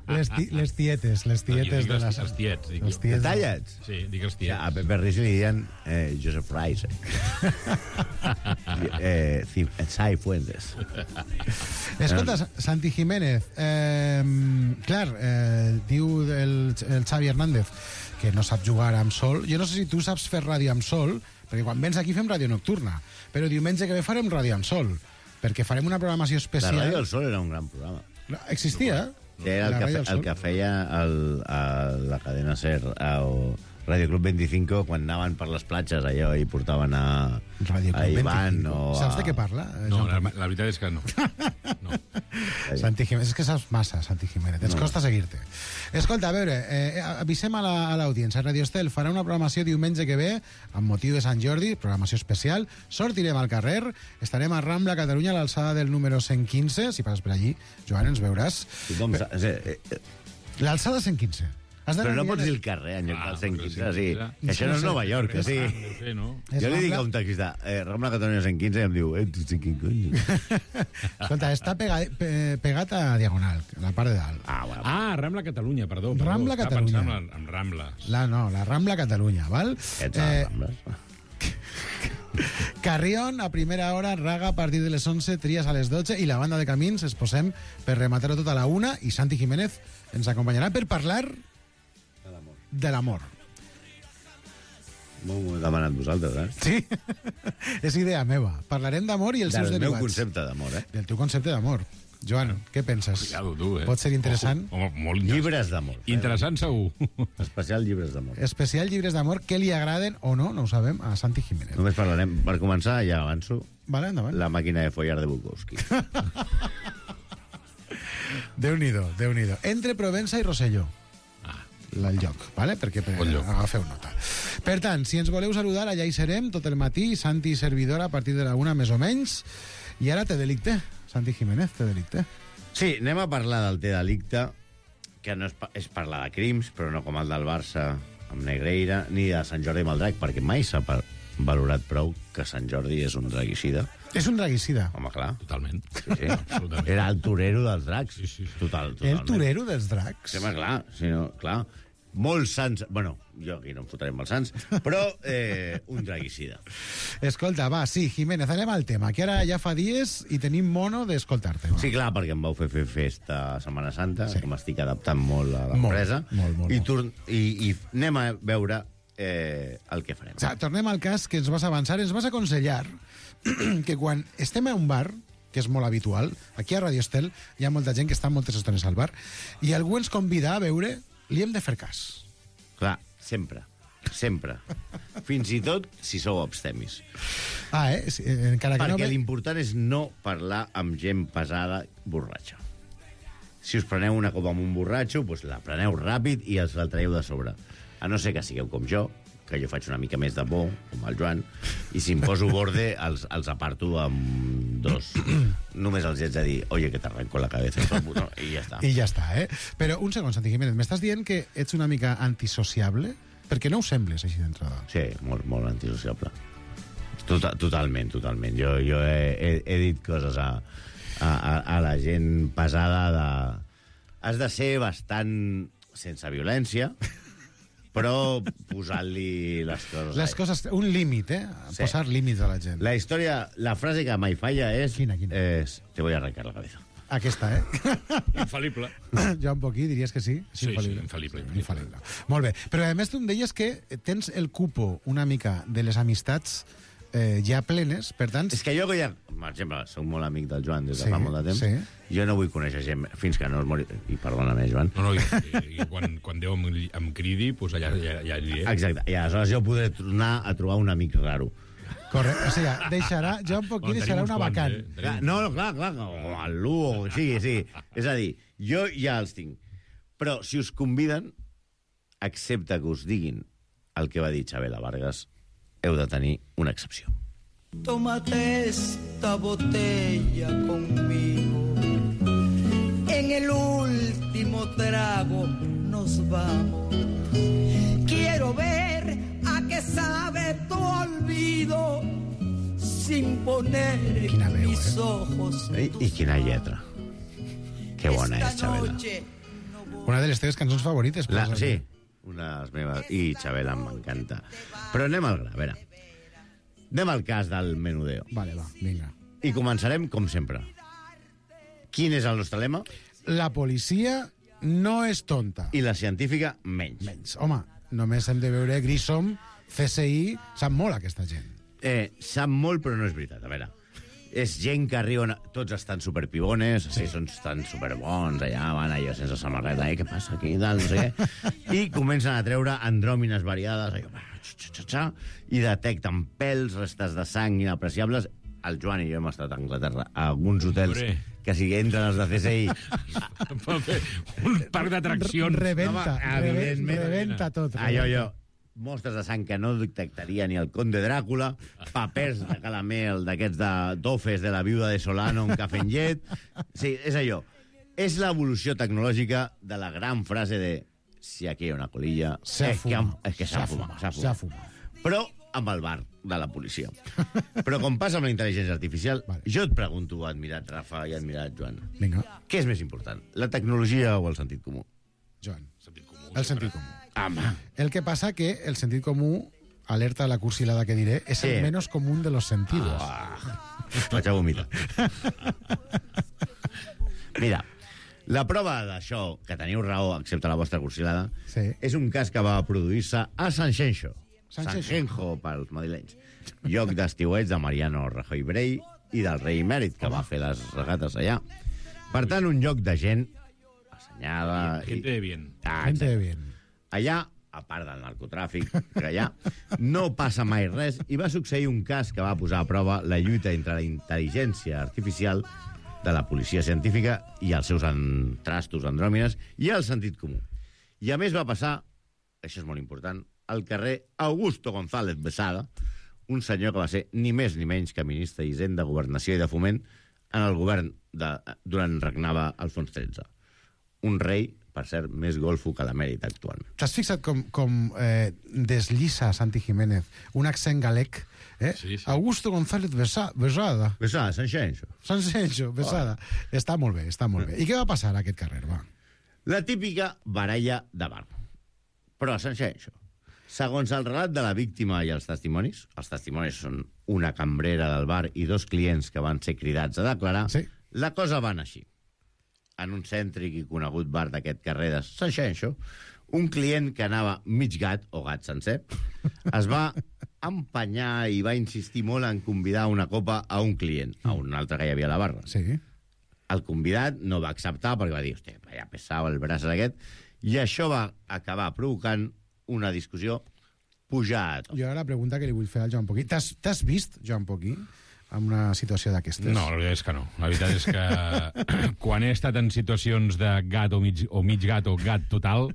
[SPEAKER 3] Les tietes de les...
[SPEAKER 4] Els tiets. Dic
[SPEAKER 3] Els
[SPEAKER 4] jo.
[SPEAKER 3] tiets.
[SPEAKER 8] Tallets?
[SPEAKER 4] Sí, dic els tiets.
[SPEAKER 8] A Pepe Riz li diuen Joseph Rice. Sai Fuentes.
[SPEAKER 3] Escolta, Santi Jiménez, clar, diu el Xavi Hernández que no sap jugar amb sol. Jo no sé si tu saps fer ràdio amb sol, perquè quan vens aquí fem ràdio nocturna, però diumenge que ve farem ràdio amb sol, perquè farem una programació especial.
[SPEAKER 8] La Ràdio del Sol era un gran programa.
[SPEAKER 3] Existia,
[SPEAKER 8] Era el que feia la cadena SER o Radio Club 25 quan anaven per les platges allò i portaven a Ivan o
[SPEAKER 3] Saps de què parla?
[SPEAKER 4] No, la veritat és que no.
[SPEAKER 3] Santi Jiménez, és que saps massa, Santi Jiménez. Ens costa seguir-te. Escolta, a veure, avisem a l'audiència. Radio Estel farà una programació diumenge que ve amb motiu de Sant Jordi, programació especial. Sortirem al carrer, estarem a Rambla, Catalunya, a l'alçada del número 115. Si passes per allí, Joan, ens veuràs. L'alçada 115.
[SPEAKER 8] Però no pots dir el carrer en lloc del 115, sí. Això no és Nova York, sí. Jo li dic a un taxista, Rambla Catalunya 115, i em diu, tu quin cony.
[SPEAKER 3] Escolta, està pegat a Diagonal, a la part de dalt.
[SPEAKER 4] Rambla Catalunya, perdó.
[SPEAKER 3] Rambla Catalunya.
[SPEAKER 4] Estava pensant en Rambles.
[SPEAKER 3] La Rambla Catalunya, val? Carrión, a primera hora, Raga a partir de les 11, Tries a les 12 i la banda de Camins es posem per rematar-ho tot a la 1 i Santi Jiménez ens acompanyarà per parlar de l'amor.
[SPEAKER 8] M'ho heu demanat vosaltres,
[SPEAKER 3] Sí, és idea meva. Parlarem d'amor i els seus derivats.
[SPEAKER 8] Del meu concepte d'amor,
[SPEAKER 3] Del teu concepte d'amor. Joan, què penses?
[SPEAKER 4] Cuidado, tu,
[SPEAKER 3] Pot ser interessant?
[SPEAKER 4] Home, molt interessant.
[SPEAKER 8] Llibres d'amor.
[SPEAKER 4] Interessant, segur.
[SPEAKER 8] Especial llibres d'amor.
[SPEAKER 3] Especial llibres d'amor que li agraden o no, no ho sabem, a Santi Jiménez.
[SPEAKER 8] Només parlarem, per començar, ja avanço,
[SPEAKER 3] Vale, endavant.
[SPEAKER 8] la màquina de follar de Bukowski.
[SPEAKER 3] Déu-n'hi-do, Déu-n'hi-do. Entre Provença i Rosselló. El lloc, vale? Perquè agafeu nota. Per tant, si ens voleu saludar, allà hi serem tot el matí, Santi i servidora a partir de la 1 més o menys. I ara T-Delicte, Santi Jiménez, té delicte.
[SPEAKER 8] Sí, anem a parlar del té delicte, que no és parlar de crims, però no com el del Barça amb Negreira, ni de Sant Jordi amb el Drac, perquè mai s'ha valorat prou que Sant Jordi és un draguicida.
[SPEAKER 3] És un draguicida.
[SPEAKER 8] Home, clar.
[SPEAKER 4] Totalment.
[SPEAKER 8] Sí.
[SPEAKER 4] Absolutament.
[SPEAKER 8] Era el torero dels dracs.
[SPEAKER 4] Sí.
[SPEAKER 8] Totalment.
[SPEAKER 3] El torero dels dracs.
[SPEAKER 8] Sí, home, clar. Sí, no, clar. Molts sants... Bueno, jo aquí no em fotré amb els sants, però un draguicida.
[SPEAKER 3] Escolta, va, sí, Jiménez, anem al tema, que ara ja fa dies i tenim mono d'escoltar-te.
[SPEAKER 8] Sí, clar, perquè em vau fer festa a Setmana Santa, que m'estic adaptant molt a l'empresa.
[SPEAKER 3] Molt.
[SPEAKER 8] I anem a veure el que farem.
[SPEAKER 3] O sigui, tornem al cas que ens vas avançar. Ens vas aconsellar que quan estem a un bar, que és molt habitual, aquí a Radio Estel hi ha molta gent que està moltes estones al bar, i algú ens convida a veure, li hem de fer cas.
[SPEAKER 8] Clar, sempre. Fins i tot si sou abstemis.
[SPEAKER 3] Sí, encara que
[SPEAKER 8] perquè
[SPEAKER 3] no...
[SPEAKER 8] l'important és no parlar amb gent pesada borratxa. Si us preneu una copa amb un borratxo, doncs la preneu ràpid i els la traieu de sobre. A no ser que sigueu com jo, que jo faig una mica més de bo, com el Joan, i si em poso borde, els aparto amb dos. Només els haig de dir, oye, que t'arrenco la cabeza, i ja està.
[SPEAKER 3] I ja està, eh? Però un segon, Santi Jiménez, m'estàs dient que ets una mica antisociable? Perquè no ho sembles, així d'entrada.
[SPEAKER 8] Sí, molt antisociable. Totalment. Jo he dit coses a la gent pesada de... Has de ser bastant sense violència, però posant-li les coses...
[SPEAKER 3] Les coses... Un límit, eh?
[SPEAKER 8] Sí.
[SPEAKER 3] Posar límits a la gent.
[SPEAKER 8] La història, la frase que mai falla és...
[SPEAKER 3] Quina?
[SPEAKER 8] És, te voy a arrancar la cabeza.
[SPEAKER 3] Aquesta, eh?
[SPEAKER 4] Infal·lible.
[SPEAKER 3] Joan Poquí, diries que sí?
[SPEAKER 4] Sí, infal·lible.
[SPEAKER 3] Molt bé. Però a més tu em deies que tens el cupo una mica de les amistats ja plenes, per tant...
[SPEAKER 8] És que jo, per exemple, soc molt amic del Joan des de fa molt de temps, jo no vull conèixer gent fins que no es mori... I perdona-me, Joan.
[SPEAKER 4] No, i quan Déu em cridi, doncs allà aniré.
[SPEAKER 8] Exacte, i aleshores jo podré tornar a trobar un amic raro.
[SPEAKER 3] Correcte, o sigui, deixarà, Joan Poquí deixarà una vacant.
[SPEAKER 8] No, clar, com el Lugo, sí. És a dir, jo ja els tinc. Però si us conviden, excepte que us diguin el que va dir Chabela Vargas, heu de tenir una excepció.
[SPEAKER 9] Tómate esta botella conmigo. En el último trago nos vamos. Quiero ver a qué sabe tu olvido sin poner en mis ojos.
[SPEAKER 8] I quina lletra. Que bona és, Chabela.
[SPEAKER 3] Una de les teves cançons favorites.
[SPEAKER 8] Sí, una de les meves. I Chabela m'encanta. Però anem al gra, a veure. Anem al cas del menudeo.
[SPEAKER 3] Vale, va, vinga.
[SPEAKER 8] I començarem, com sempre. Quin és el nostre lema?
[SPEAKER 3] La policia no és tonta.
[SPEAKER 8] I la científica, menys.
[SPEAKER 3] Home, només hem de veure Grissom, CSI... Sap molt aquesta gent.
[SPEAKER 8] Sap molt, però no és veritat. A veure, és gent que arriben... Tots estan superpibones, sí, estan superbons, allà van allò sense samarreta, què passa aquí, no sé què. I comencen a treure andròmines variades, allò, i detecten pèls, restes de sang inapreciables. El Joan i jo hem estat a Anglaterra, a alguns hotels que si entren els de CSI...
[SPEAKER 4] Un parc d'atraccions.
[SPEAKER 3] Rebenta tot.
[SPEAKER 8] Allò, mostres de sang que no detectaria ni el conde Dràcula, papers de calamel d'aquests d'ofes de la viuda de Solano, un cafè amb llet... Sí, és allò. És l'evolució tecnològica de la gran frase de si aquí hi ha una colilla...
[SPEAKER 3] S'ha
[SPEAKER 8] fumat. Però amb el bar de la policia. Però com passa amb la intel·ligència artificial, jo et pregunto, admirat Rafa i admirat Joan,
[SPEAKER 3] vinga,
[SPEAKER 8] què és més important, la tecnologia o el sentit comú?
[SPEAKER 3] Joan, el sentit comú.
[SPEAKER 8] Home.
[SPEAKER 3] El que passa que el sentit comú, alerta a la cursilada que diré, és el menos común de los sentidos.
[SPEAKER 8] Vaig a vomitar. Mira, la prova d'això, que teniu raó, excepte la vostra cursilada, és un cas que va produir-se a Sanxenxo. Sanxenxo, pels madrilenys. Lloc d'estiueig de Mariano Rajoy Brey i del rei Emèrit, que va fer les regates allà. Per tant, un lloc de gent assenyada...
[SPEAKER 4] Gente de bien.
[SPEAKER 3] Gente de bien.
[SPEAKER 8] Allà, a part del narcotràfic, que allà no passa mai res, i va succeir un cas que va posar a prova la lluita entre la intel·ligència artificial de la policia científica i els seus trastos andròmines i el sentit comú. I a més va passar, això és molt important, al carrer Augusto González Besada, un senyor que va ser ni més ni menys que ministre d'Hisenda, Governació i de Foment en el govern durant regnava Alfons XIII. Un rei, per cert, més golfo que l'emèrit actualment.
[SPEAKER 3] T'has fixat com desllissa Santi Jiménez un accent galec?
[SPEAKER 4] Sí.
[SPEAKER 3] Augusto González Besada.
[SPEAKER 8] Besada, Sanxenxo.
[SPEAKER 3] Sanxenxo, Besada. Està molt bé, està molt bé. I què va passar a aquest carrer, va?
[SPEAKER 8] La típica baralla de bar. Però a Sanxenxo, segons el relat de la víctima i els testimonis són una cambrera del bar i 2 clients que van ser cridats a declarar,
[SPEAKER 3] sí.
[SPEAKER 8] La cosa va anar així. En un cèntric i conegut bar d'aquest carrer de Sanxenxo, un client que anava mig gat, o gat sencer, es va empenyar i va insistir molt en convidar una copa a un client, a un altre que hi havia a la barra.
[SPEAKER 3] Sí.
[SPEAKER 8] El convidat no va acceptar perquè va dir, hòstia, ja pesava el braç aquest, i això va acabar provocant una discussió pujada a tot.
[SPEAKER 3] Jo ara la pregunta que li vull fer al Joan Poquí. T'has vist, Joan Poquí, en una situació d'aquestes?
[SPEAKER 4] No, la veritat és que no. La veritat és que quan he estat en situacions de gat o mig gat o gat total,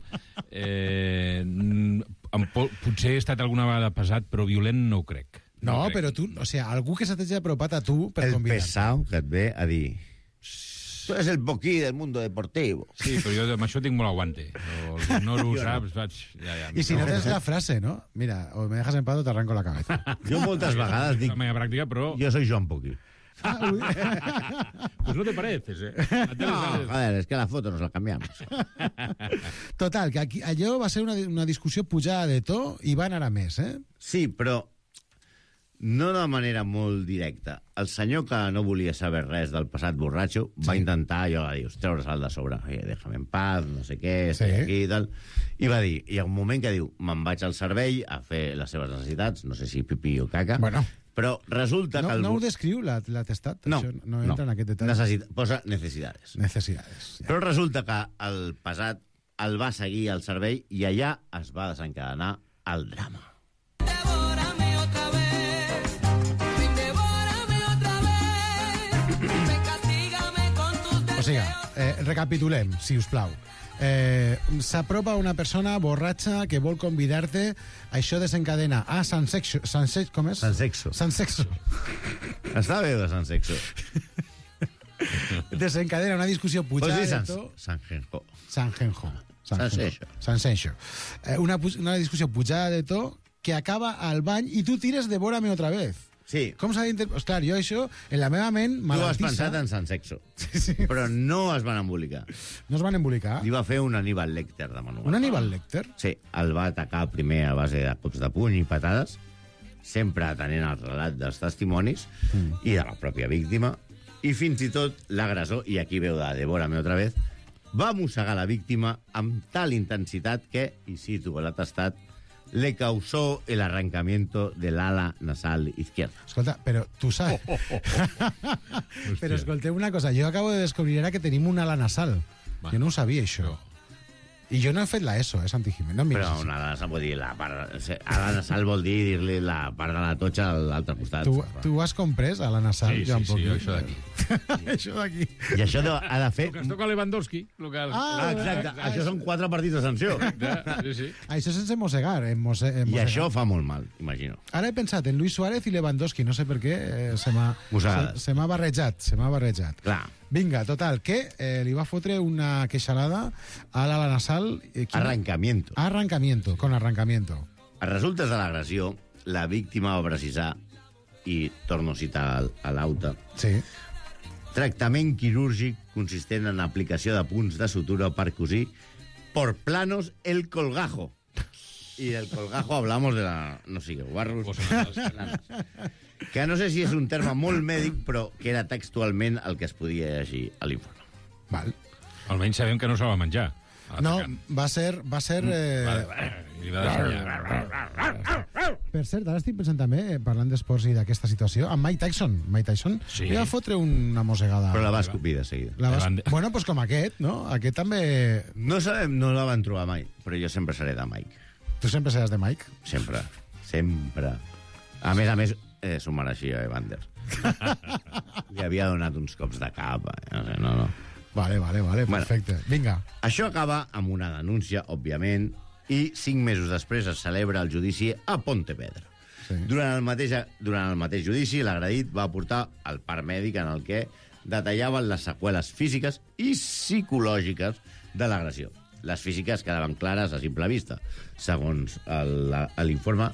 [SPEAKER 4] potser he estat alguna vegada pesat, però violent no ho crec.
[SPEAKER 3] No, però tu, o sigui, algú que se t'hagi apropat a tu per convidar.
[SPEAKER 8] El pesau que et ve a dir... Tu eres el Poquí del mundo deportivo.
[SPEAKER 4] Sí, però jo amb això tinc molt aguante. No ho saps, vaig... Ja,
[SPEAKER 3] I si no tens la frase, no? Mira, o me dejas en paz o te arranco la cabeza.
[SPEAKER 8] Jo moltes vegades dic...
[SPEAKER 4] La meva pràctica, però...
[SPEAKER 8] Jo soy Joan Poquí.
[SPEAKER 4] Pues no te pareces,
[SPEAKER 8] No, joder, es que la foto nos la cambiamos.
[SPEAKER 3] Total, que aquí, allò va ser una discussió pujada de to i va anar a més, eh?
[SPEAKER 8] Sí, però no de manera molt directa. El senyor que no volia saber res del passat borratxo va intentar, allò va dir, treure'l de sobre. Déjame en paz, no sé què, estic aquí i tal. I va dir, hi ha un moment que diu, me'n vaig al servei a fer les seves necessitats, no sé si pipí o caca,
[SPEAKER 3] bueno,
[SPEAKER 8] però resulta que...
[SPEAKER 3] No ho descriu l'atestat?
[SPEAKER 8] No,
[SPEAKER 3] això no entra en aquest detall.
[SPEAKER 8] Posa necessitats.
[SPEAKER 3] Necessitats.
[SPEAKER 8] Ja. Però resulta que el pesat el va seguir al servei i allà es va desencadenar el drama.
[SPEAKER 3] O sigui, recapitulem, si us plau. S'apropa una persona borratxa que vol convidar-te, això desencadena a Sansexo. Com és?
[SPEAKER 8] Sansexo.
[SPEAKER 3] Sansexo.
[SPEAKER 8] Està bé de Sansexo.
[SPEAKER 3] Desencadena una discussió pujada de to.
[SPEAKER 8] Sanjenjo.
[SPEAKER 3] Sansenxo. Una discussió pujada de to que acaba al bany i tu tires de Bórame otra vez.
[SPEAKER 8] Sí.
[SPEAKER 3] Com s'ha d'interpretar? Clar, jo això, en la meva ment,
[SPEAKER 8] tu has pensat en Sansexo.
[SPEAKER 3] Sí.
[SPEAKER 8] Però no es van embolicar.
[SPEAKER 3] No es van embolicar?
[SPEAKER 8] Li va fer un Aníbal Lecter de manual.
[SPEAKER 3] Un Aníbal Lecter?
[SPEAKER 8] Sí, el va atacar primer a base de cops de puny i patades, sempre atenent el relat dels testimonis i de la pròpia víctima, i fins i tot l'agressor, i aquí veu de Devórame otra vez, va mossegar la víctima amb tal intensitat que, i cito l'atestat, le causó el arrancamiento del ala nasal izquierda.
[SPEAKER 3] Escolta, però tu saps... Però escolteu una cosa, jo acabo de descobrir ara que tenim un ala nasal. Jo no ho sabia, això. I jo no he fet la ESO, Santi Jiménez. No
[SPEAKER 8] però una ala nasal vol dir la part... Ala nasal vol dir-li la part de la totxa a l'altre costat.
[SPEAKER 3] Tu has comprès a la nasal?
[SPEAKER 4] Sí, això d'aquí.
[SPEAKER 3] Això d'aquí.
[SPEAKER 8] I això ha de fer...
[SPEAKER 4] El que es toca Lewandowski.
[SPEAKER 8] Exacte. Això són 4 partits de sanció.
[SPEAKER 4] Sí.
[SPEAKER 3] Això sense mossegar.
[SPEAKER 8] I això fa molt mal, imagino.
[SPEAKER 3] Ara he pensat en Luis Suárez i Lewandowski. No sé per què se m'ha barrejat.
[SPEAKER 8] Clar.
[SPEAKER 3] Vinga, total, que li va fotre una queixalada a l'ala nasal... Arrancamiento, con arrancamiento.
[SPEAKER 8] A resultes de l'agressió, la víctima va precisar, i torno a citar a l'auta,
[SPEAKER 3] sí.
[SPEAKER 8] Tractament quirúrgic consistent en aplicació de punts de sutura per cosir por planos el colgajo. Y del colgajo hablamos de la... no sé, barros... que no sé si és un terme molt mèdic, però que era textualment el que es podia llegir a l'informe.
[SPEAKER 3] Val.
[SPEAKER 4] Almenys sabem que no se va menjar.
[SPEAKER 3] No, va ser... Per cert, ara estic pensant també, parlant d'esports i d'aquesta situació, amb Mike Tyson
[SPEAKER 4] sí.
[SPEAKER 3] Li va fotre una mossegada.
[SPEAKER 8] Però la va escopir de seguida.
[SPEAKER 3] Bueno, doncs com aquest, no? Aquest també...
[SPEAKER 8] No sabem, no la van trobar mai, però jo sempre seré de Mike.
[SPEAKER 3] Tu sempre seràs de Mike?
[SPEAKER 8] Sempre. A més, s'ho mereixia, Evander. Li havia donat uns cops de cap. No.
[SPEAKER 3] Vale, perfecte. Bueno, vinga.
[SPEAKER 8] Això acaba amb una denúncia, òbviament, i 5 mesos després es celebra el judici a Pontevedra. Sí. Durant el mateix judici, l'agredit va aportar el part mèdic en el què detallaven les seqüeles físiques i psicològiques de l'agressió. Les físiques quedaven clares a simple vista. Segons l'informe,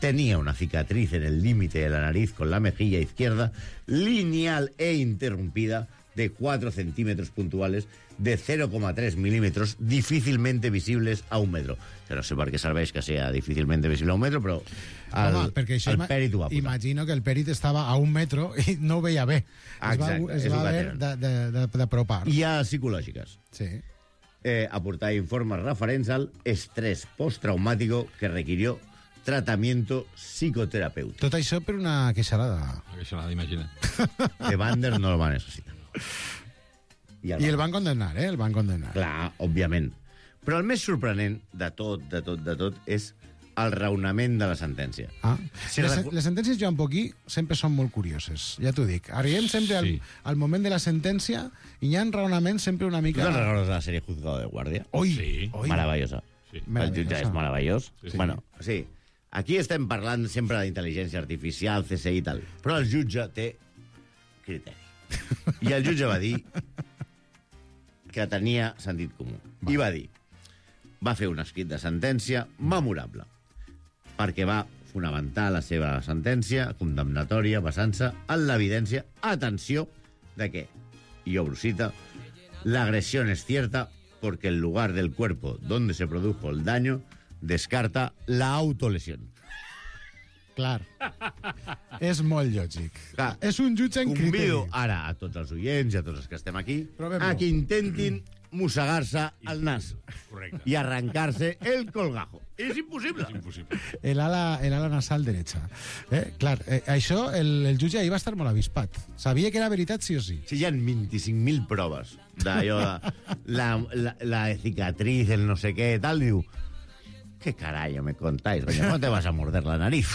[SPEAKER 8] tenía una cicatriz en el límite de la nariz con la mejilla izquierda, lineal e interrumpida, de 4 centímetros puntuales, de 0,3 milímetros, difícilmente visibles a 1 metro. Que no sé per què serveix que sea difícilmente visible a 1 metro, però
[SPEAKER 3] Home, perquè això
[SPEAKER 8] el pèrit ho va posar.
[SPEAKER 3] Imagino que el pèrit estava a 1 metro i no ho veia bé.
[SPEAKER 8] Exacte,
[SPEAKER 3] es va haver d'apropar.
[SPEAKER 8] Hi ha psicològiques.
[SPEAKER 3] Sí.
[SPEAKER 8] Aportar informes referents al estrès postraumàtico que requirió tratamiento psicoterapéutico.
[SPEAKER 3] Tot això per una queixalada.
[SPEAKER 4] Una queixalada, imagina't.
[SPEAKER 8] De Bander no el va necessitar.
[SPEAKER 3] I el van condemnar, eh? El van condemnar.
[SPEAKER 8] Clar, òbviament. Però el més sorprenent de tot, és el raonament de la sentència.
[SPEAKER 3] Ah. Les sentències, Joan Poquí, sempre són molt curioses, ja t'ho dic. Arribem sempre al moment de la sentència i hi ha raonaments sempre una mica...
[SPEAKER 8] ¿Tú te recuerdas la serie Juzgado de Guardia?
[SPEAKER 3] Sí.
[SPEAKER 8] Maravillosa.
[SPEAKER 4] Sí.
[SPEAKER 8] El jutge és meravellós.
[SPEAKER 3] Sí.
[SPEAKER 8] Bueno, sí. Aquí estem parlant sempre d'intel·ligència artificial, CSI i tal, però el jutge té criteri. I el jutge va dir que tenia sentit comú. I va dir, va fer un escrit de sentència memorable, perquè va fonamentar la seva sentència condemnatòria basant-se en l'evidència, atenció, de que, y obro cita, la agresión es cierta porque el lugar del cuerpo donde se produjo el daño descarta la autolesión.
[SPEAKER 3] Clar. És molt lògic.
[SPEAKER 8] Clar,
[SPEAKER 3] és un jutge en criteri.
[SPEAKER 8] Convido ara a tots els oients i a tots els que estem aquí
[SPEAKER 3] Provem-ho.
[SPEAKER 8] a que intentin mossegar-se el nas.
[SPEAKER 4] Correcte.
[SPEAKER 8] I arrencar-se el colgajo. És impossible.
[SPEAKER 4] És impossible.
[SPEAKER 3] El ala nasal derecha. Clar, això el jutge ahir va estar molt avispat. Sabia que era veritat sí o sí.
[SPEAKER 8] Si hi ha 25.000 proves d'allò de la cicatriz, el no sé què, tal, diu, ¿qué carajo me contáis? Coño, ¿cómo te vas a morder la nariz?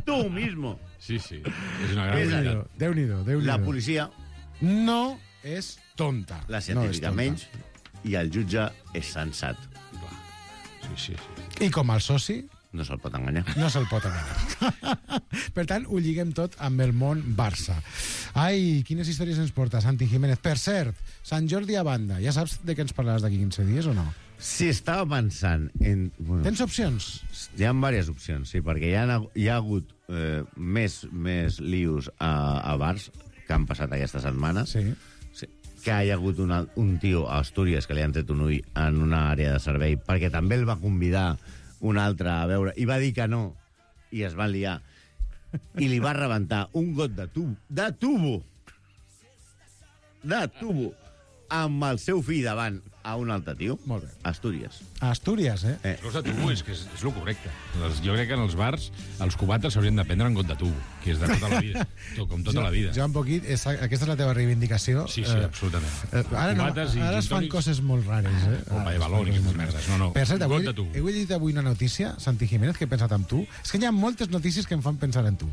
[SPEAKER 8] Tú mismo.
[SPEAKER 4] Sí. És una gran
[SPEAKER 8] És
[SPEAKER 4] veritat.
[SPEAKER 3] Déu-n'hi-do.
[SPEAKER 8] La policia,
[SPEAKER 3] no és tonta.
[SPEAKER 8] la
[SPEAKER 3] no
[SPEAKER 8] científica
[SPEAKER 3] és tonta.
[SPEAKER 8] menys, i el jutge és sensat.
[SPEAKER 4] Sí.
[SPEAKER 3] I com el soci,
[SPEAKER 8] No se'l pot enganyar.
[SPEAKER 3] no se'l pot enganyar. Per tant, ho lliguem tot amb el món Barça. Ai, quines històries ens porta Santi Jiménez. Per cert, Sant Jordi a banda. Ja saps de què ens parlaràs d'aquí 15 dies o no?
[SPEAKER 8] Si estava pensant en... Bueno,
[SPEAKER 3] Tens opcions?
[SPEAKER 8] hi ha diverses opcions, sí, perquè hi ha hagut més lius a bars que han passat aquesta setmana.
[SPEAKER 3] Sí.
[SPEAKER 8] Sí, que hi ha hagut un tio a Astúries que li han tret un ull en una àrea de servei perquè també el va convidar un altre a veure i va dir que no i es van liar i li va rebentar un got de tubo amb el seu fill davant a un altre tio.
[SPEAKER 3] Molt bé.
[SPEAKER 8] Astúries.
[SPEAKER 3] A Astúries, eh?
[SPEAKER 4] Els gots de tubo és el correcte. Jo crec que en els bars els cubates s'haurien de prendre en got de tubo, que és de tota la vida. Com tota la vida.
[SPEAKER 3] Joan Poquit, aquesta és la teva reivindicació.
[SPEAKER 4] Sí, absolutament.
[SPEAKER 3] Ara es fan coses molt rares, eh?
[SPEAKER 4] Bomba de balón i aquestes merdes. No.
[SPEAKER 3] Per cert,
[SPEAKER 4] got de tubo.
[SPEAKER 3] he llegit avui una notícia, Santi Jiménez, que he pensat en tu. És que hi ha moltes notícies que em fan pensar en tu.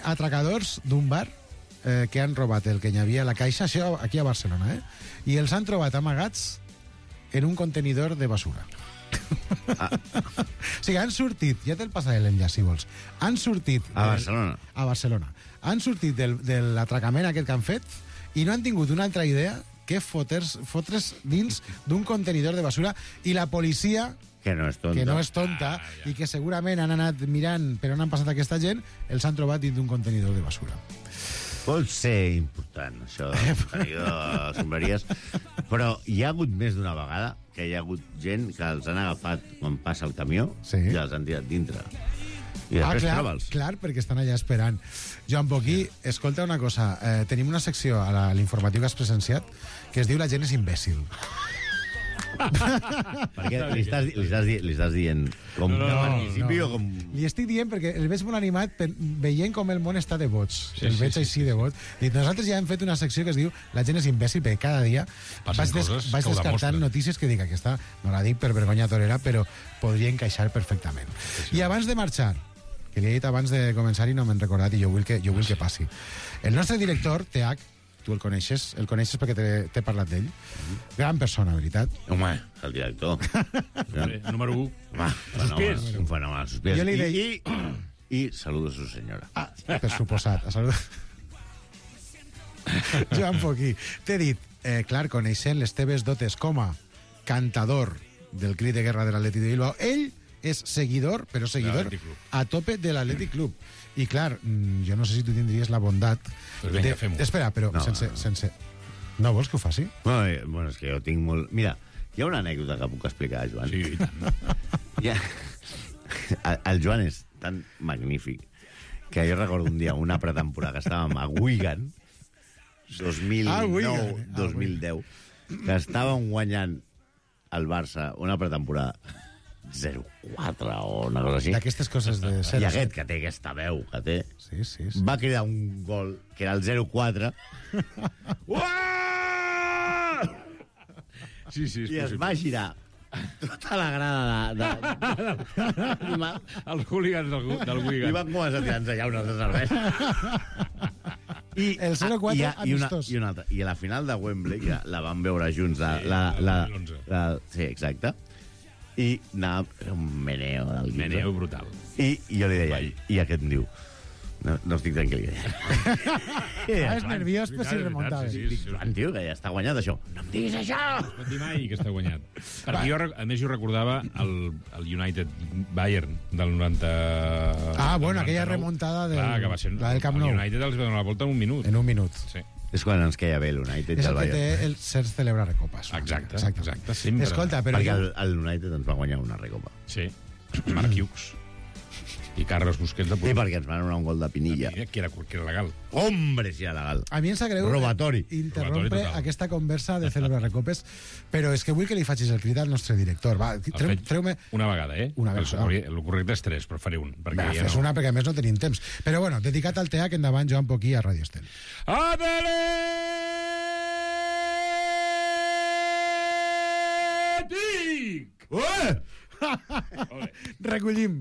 [SPEAKER 3] Atracadors d'un bar que han robat el que hi havia a la caixa, això aquí a Barcelona, i els han trobat amagats en un contenidor de basura. O sigui, han sortit, ja te'l passaré l'enllaç, si vols, han sortit...
[SPEAKER 8] A Barcelona.
[SPEAKER 3] A Barcelona. Han sortit de l'atracament aquest que han fet i no han tingut una altra idea que fotre's dins d'un contenidor de basura i la policia...
[SPEAKER 8] Que no és tonta.
[SPEAKER 3] I que segurament han anat mirant per on han passat aquesta gent, els han trobat dins d'un contenidor de basura.
[SPEAKER 8] Pot ser important, això de sombraries, però hi ha hagut més d'una vegada que hi ha hagut gent que els han agafat quan passa el camió i els han tirat dintre. I després troba'ls.
[SPEAKER 3] Clar, perquè estan allà esperant. Joan Poquí, escolta una cosa, tenim una secció a l'informatiu que has presenciat que es diu La gent és imbècil.
[SPEAKER 8] Perquè li estàs dient com que participi o com...
[SPEAKER 3] Li estic dient perquè el veig molt animat veient com el món està de vots. El veig així de vots. Nosaltres ja hem fet una secció que es diu La gent és imbècil, perquè cada dia vaig descartant notícies que dic aquesta no la dic per vergonya torera, però podria encaixar perfectament. I abans de marxar, que li he dit abans de començar i no m'he recordat i jo vull que passi. El nostre director, TH, tu el coneixes perquè t'he parlat d'ell. Gran persona, veritat.
[SPEAKER 8] Home, el director.
[SPEAKER 4] Número 1.
[SPEAKER 8] Un fenomen, sospirs.
[SPEAKER 3] Jo li deia...
[SPEAKER 8] I saludos a su senyora.
[SPEAKER 3] Per suposat. Joan Poquí. T'he dit, clar, coneixent les teves dotes com a cantador del crit de guerra de l'Atlètic de Bilbao, ell és seguidor, però seguidor a tope de l'Atlètic Club. I clar, jo no sé si tu tindries la bondat...
[SPEAKER 4] Pues vinga, fem-ho.
[SPEAKER 3] Espera, però
[SPEAKER 8] No,
[SPEAKER 3] sense... No vols que ho faci?
[SPEAKER 8] Bueno, és que jo tinc molt... Mira, hi ha una anècdota que puc explicar, Joan.
[SPEAKER 4] Sí, i tant.
[SPEAKER 8] El Joan és tan magnífic que jo recordo un dia una pretemporada que estàvem a Wigan, 2009-2010, que estàvem guanyant el Barça una pretemporada 0-4 o una cosa així.
[SPEAKER 3] D'aquestes coses de ser...
[SPEAKER 8] I aquest, que té aquesta veu, que té,
[SPEAKER 3] Sí.
[SPEAKER 8] va cridar un gol, que era el 0-4,
[SPEAKER 4] Sí, és
[SPEAKER 8] i es
[SPEAKER 4] possible.
[SPEAKER 8] va girar tota la grada d'animal
[SPEAKER 4] Els hooligans del
[SPEAKER 8] i
[SPEAKER 4] Wigan.
[SPEAKER 8] van començar a tirar-nos allà unes de cervesa.
[SPEAKER 3] El 0-4 amistós.
[SPEAKER 8] I una altra. I a la final de Wembley, que la vam veure junts,
[SPEAKER 4] Sí,
[SPEAKER 8] sí, exacte, i anava un meneo del quinze.
[SPEAKER 4] Meneo brutal.
[SPEAKER 8] I jo li deia, i aquest em diu, no estic tranquil.
[SPEAKER 3] És nerviós, però sí remuntava.
[SPEAKER 4] Sí,
[SPEAKER 8] Joan, tio, que ja està guanyat això. No em diguis això!
[SPEAKER 4] No et dir mai que està guanyat. Perquè jo, a més, jo recordava el United Bayern del 90...
[SPEAKER 3] Bueno, aquella
[SPEAKER 4] 99.
[SPEAKER 3] remuntada del,
[SPEAKER 4] Clar, que va ser,
[SPEAKER 3] la del Camp Nou.
[SPEAKER 4] El United els va donar la volta en un minut.
[SPEAKER 3] En un minut.
[SPEAKER 4] Sí.
[SPEAKER 8] És quan ens queia bé l'United
[SPEAKER 3] És
[SPEAKER 8] i el
[SPEAKER 3] el que té
[SPEAKER 8] Bayern.
[SPEAKER 3] el ser celebrar recopes.
[SPEAKER 4] Exacte, sempre.
[SPEAKER 3] Escolta, però...
[SPEAKER 8] Perquè el United ens va guanyar una recopa.
[SPEAKER 4] Sí. Marc Hughes. I Carles Busquets de
[SPEAKER 8] I perquè ens van donar un gol de Pinilla.
[SPEAKER 4] que era legal.
[SPEAKER 8] Hombre, si era legal.
[SPEAKER 3] A mi em sap greu
[SPEAKER 8] Robatori.
[SPEAKER 3] interrompre
[SPEAKER 4] Robatori total.
[SPEAKER 3] aquesta conversa de celebrar recopes, però és que vull que li facis el crit al nostre director. Va, treu-me...
[SPEAKER 4] Una vegada,
[SPEAKER 3] Una vegada.
[SPEAKER 4] El correcte és 3, però faré un. Perquè
[SPEAKER 3] Va,
[SPEAKER 4] ja
[SPEAKER 3] fes una, perquè a més no tenim temps. Però bueno, dedicat al TEAC, endavant, Joan Poquí, a Ràdio Estel.
[SPEAKER 4] Atlètic!
[SPEAKER 8] Ué!
[SPEAKER 3] Recollim.